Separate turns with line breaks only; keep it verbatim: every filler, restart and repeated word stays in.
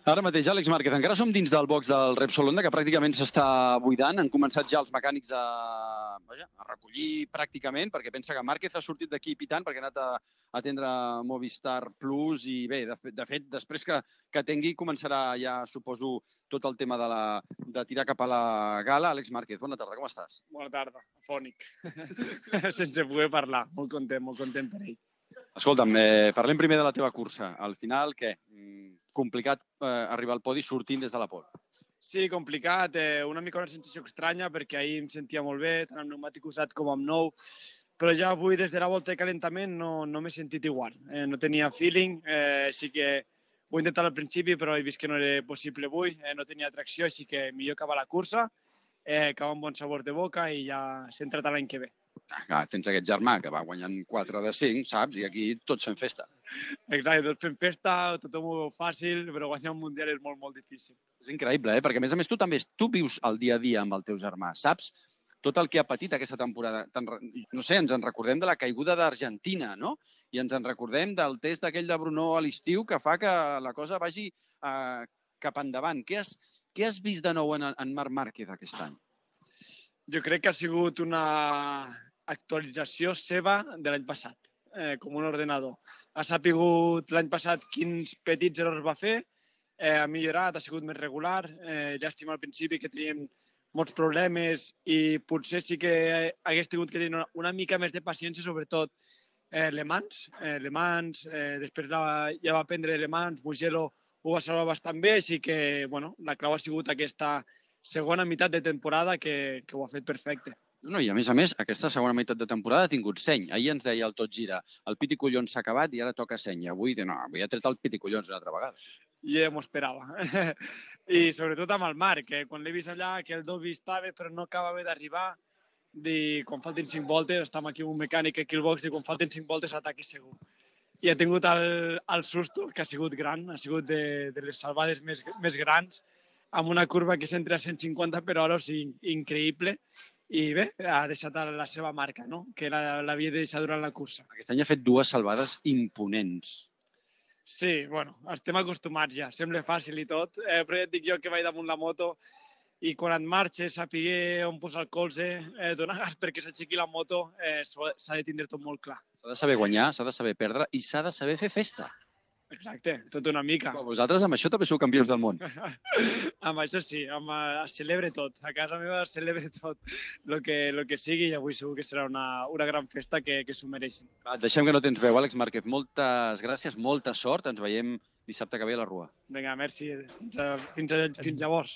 Ara mateix, Àlex Márquez, encara som dins del box del Repsol Honda, que pràcticament s'està buidant. Han començat ja els mecànics a, vaja, a recollir pràcticament, perquè pensa que Márquez ha sortit d'aquí pitant perquè ha anat a atendre Movistar Plus i bé, de, de fet, després que, que tingui, començarà ja, suposo, tot el tema de, la, de tirar cap a la gala. Àlex Márquez, bona tarda, com estàs?
Bona tarda, afònic. Sense poder parlar, molt content, molt content per ell.
Escolta'm, eh, parlem primer de la teva cursa. Al final, què? Complicat eh, arribar al podi sortint des de la pole.
Sí, complicat, eh, una mica una sensació estranya perquè ahir em sentia molt bé, tant amb pneumàtic usat com amb nou, però ja avui des de la volta de calentament no, no m'he sentit igual. Eh, no tenia feeling, eh, així que ho he intentat al principi però he vist que no era possible avui, eh, no tenia tracció, així que millor acabar la cursa, eh, acabar amb bon sabor de boca i ja centra't l'any que ve.
Ah, tens aquest germà que va guanyant quatre de cinc, saps? I aquí tots fem festa.
Exacte, tots fem festa, tothom ho veu fàcil, però guanyar un mundial és molt, molt difícil.
És increïble, eh? Perquè a més a més tu també tu vius el dia a dia amb el teu germà, saps? Tot el que ha patit aquesta temporada. No sé, ens en recordem de la caiguda d'Argentina, no? I ens en recordem del test aquell de Brno a l'estiu que fa que la cosa vagi eh, cap endavant. Què has, què has vist de nou en, en Marc Márquez aquest any?
Jo crec que ha sigut una actualització seva de l'any passat, eh, com un ordenador. Ha sapigut l'any passat quins petits errors va fer, eh, ha millorat, ha sigut més regular, eh, llàstima al principi que teníem molts problemes i potser sí que hagués tingut que tenir una, una mica més de paciència, sobretot eh, Le Mans. Eh, Le Mans, eh, després la, ja va prendre Le Mans, Mugello ho va salvar bastant bé, així que bueno, la clau ha sigut aquesta segona meitat de temporada que, que ho ha fet perfecte.
No, i a més a més, aquesta segona meitat de temporada ha tingut seny. Ahir ens deia el Tot Gira, el pit i collons s'ha acabat i ara toca seny. Avui, no, avui ha tret el pit i collons una altra vegada.
Ja m'ho esperava. I sobretot amb el Marc, que quan l'he vist allà, que el Dobby estava però no acabava d'arribar, i quan falten cinc voltes, estem aquí amb un mecànic aquí al box, i quan falten cinc voltes ataqui segur. I ha tingut el, el susto, que ha sigut gran, ha sigut de, de les salvades més, més grans, amb una curva que s'entra a cent cinquanta per hora, o sigui, increïble. I bé, ha deixat la seva marca, no? Que l'havia de deixar durant la cursa.
Aquest any ha fet dues salvades imponents.
Sí, bueno, estem acostumats ja, sembla fàcil i tot, eh, però ja et dic jo que vaig damunt la moto i quan et marxes, saber on posar el colze, eh, donar gas perquè s'aixequi la moto, eh, s'ha de tindre tot molt clar.
S'ha de saber guanyar, s'ha de saber perdre i s'ha de saber fer festa.
Exacte, tot una mica.
Però vosaltres amb això també sou campions del món.
Amb això sí, amb, es celebra tot. A casa meva es celebra tot el que, lo que sigui i avui segur que serà una, una gran festa que, que s'ho mereixin.
Va, deixem que no tens veu, Àlex Márquez. Moltes gràcies, molta sort. Ens veiem dissabte que ve a la Rua.
Vinga, merci. Fins, a, fins, a, fins llavors.